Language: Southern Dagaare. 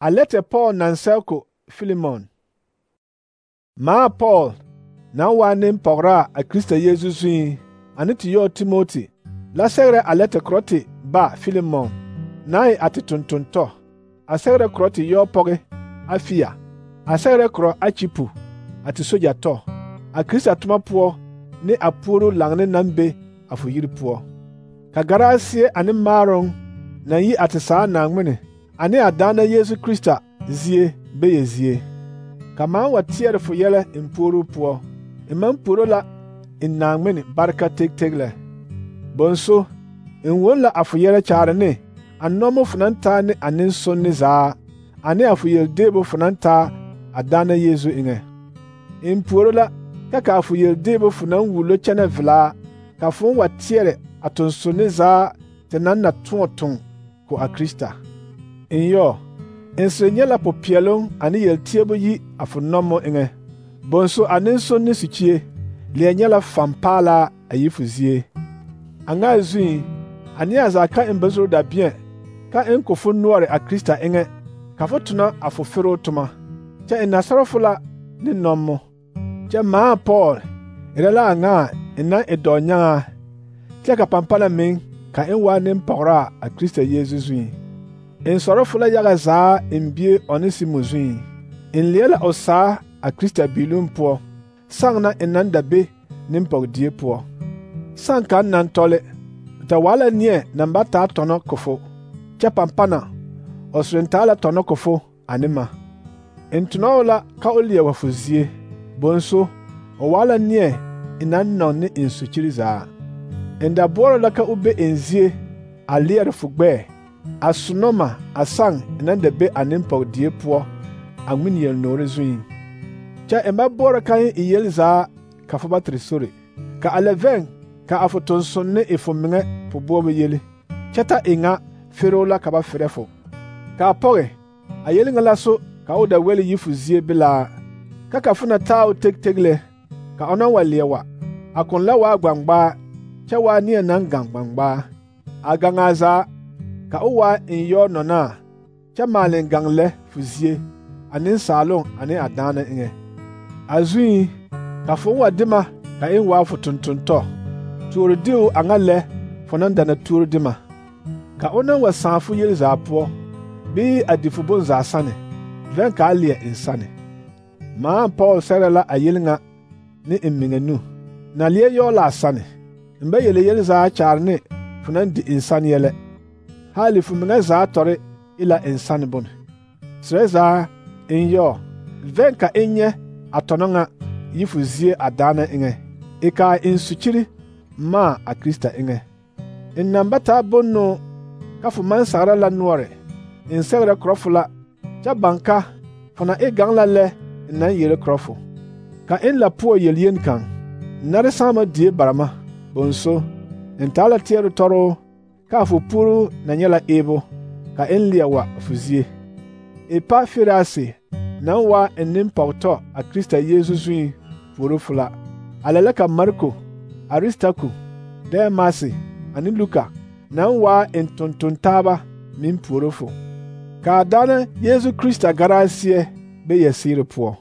A lɛtɛ Paul naŋ sɛge ko Filemon. Maa Paul naŋ waa nempɔgeraa a Krista Yeezu zuiŋ ane te yɔɔ Timoti la sɛgerɛ a lɛtɛ korɔ te ba Filemon naŋ e a te tonton-tɔ. A sɛgerɛ korɔ te yɔɔ pɔge Afia. A sɛgerɛ korɔ Akyipu a te soja tɔ. A Krista toma poɔ ne a puoruu laŋne naŋ be a fo yiri poɔ. Ka garaaseɛ ane maaroŋ naŋ yi a te saa Naaŋmene ane a Daana Yeezu Krista zie bee zie. Ka maŋ wa teɛrɛ fo yɛlɛ n puoruu poɔ. N maŋ puoro la n Naaŋmene bareka teg lɛ. Bonso, n won la a fo yɛlɛ kyaare ne a nɔmo fo naŋ taa ne a nensonne zaa, ane a fo yeldeebo fo naŋ taa a Daana Yeezu eŋɛ. N puoro la ka a fo yeldeebo fo naŋ wullo kyɛnɛ velaa, ka fo wa teɛrɛ a tonsonne zaa te naŋ na tõɔ toŋ ko a Krista. N yɔ, n sere nyɛ la popeɛloŋ ane yelteɛbo yi a fo nɔmo eŋɛ. Bonso a nensonne sikyie, leɛ nyɛ la fampaalaa a yi fo zie. A ŋa a zuiŋ, a neɛ zaa ka n ba zoro dabeɛ ka n ko fo noɔre a Krista eŋɛ, ka fo tona a fo feroo toma. Kyɛ n na sɔrɔ fo la ne nɔmo. Kyɛ maa Paul erɛ la a ŋa n naŋ e dɔɔnyaŋaa, kyɛ ka pampana meŋ ka n waa nempɔgeraa a Krista Yeezu zuiŋ. N sɔrɔ fo la yaga zaa n bie Onesimo zuiŋ. N leɛ la o saa a Krista biilum poɔ, saŋ na n naŋ da be nempɔgedie poɔ. Saŋ kaŋ naŋ tɔle, ta waa la neɛ naŋ ba taa tɔnɔ ko fo, kyɛ pampana o soreŋ taa la tɔnɔ ko fo ane ma. N tonɔ o la ka o leɛ wa fo zie. Bonso, o waa la neɛ n naŋ nɔŋ ne n sukyiri zaa. N da boɔrɔ la ka o be n zie a leɛre fo gbɛɛ, a sonɔ ma a saŋ n naŋ da be a nempɔgedie poɔ a ŋmene yelnoore zuiŋ. Kyɛ n ba boɔrɔ ka n yel zaa ka fo ba tere sore. Ka a lɛ vɛŋ ka a fo tonsonne e fo meŋɛ fo boɔbɔ yele, kyɛ ta e ŋa feroo la ka ba ferɛ fo. Ka a pɔge, a yele ŋa la so ka o da wɛli yi fo zie belaa, ka fo na taa o teg lɛ, ka o naŋ wa leɛ wa, a kõn la waa gbangbaa, kyɛ waa neɛ naŋ gaŋ gbangbaa. A gaŋaa zaa, ka o waa n yɔɔ nɔnaa, kyɛ maale n gaŋ lɛ fo zie, a nensaaloŋ ane a daana eŋɛ. A zuiŋ, ka fo wa de ma ka n waa fo tonton-tɔ, tuoro diu a ŋa lɛ fo naŋ da na tuoro de ma. Ka o naŋ wa sãã fo yel zaa poɔ, bii a di fo bonzaa sane, vɛŋ ka a leɛ n sane. Maa Paul sɛgrɛ la a yel ŋa ne n meŋɛ nu. Na leɛ yɔɔ la a sane. N ba yele yel zaa kyaare ne fo naŋ di n sane yɛlɛ. Haali fo meŋɛ zaa tɔre e la n sane bone. Serɛ zaa, n yɔ, vɛŋ ka n nyɛ a tɔnɔ ŋa yi fo zie a daana eŋɛ, e kaa n sukyiri maa a Krista eŋɛ. N naŋ ba taa bonnoo ka fo maŋ sagra la noɔre, n sɛgrɛ korɔ fo la, kyɛ baŋ ka fo na e gaŋ la lɛ n naŋ yele korɔ fo. Ka n la poɔ yel-yen kaŋ, nare sãama die barama. Bonso, n taa la teɛre tɔroo ka a fo puoruu na nyɛ la eebo, ka n leɛ wa fo zie. Epafirase naŋ waa n nempɔgetɔ a Krista Yeezu zuiŋ puoro fo la. A lɛ la ka Marko, Aristaku, Dɛmase ane Luka naŋ waa n tonton-taaba meŋ puoro fo. Ka a Daana Yeezu Krista garaaseɛ be yɛseere poɔ.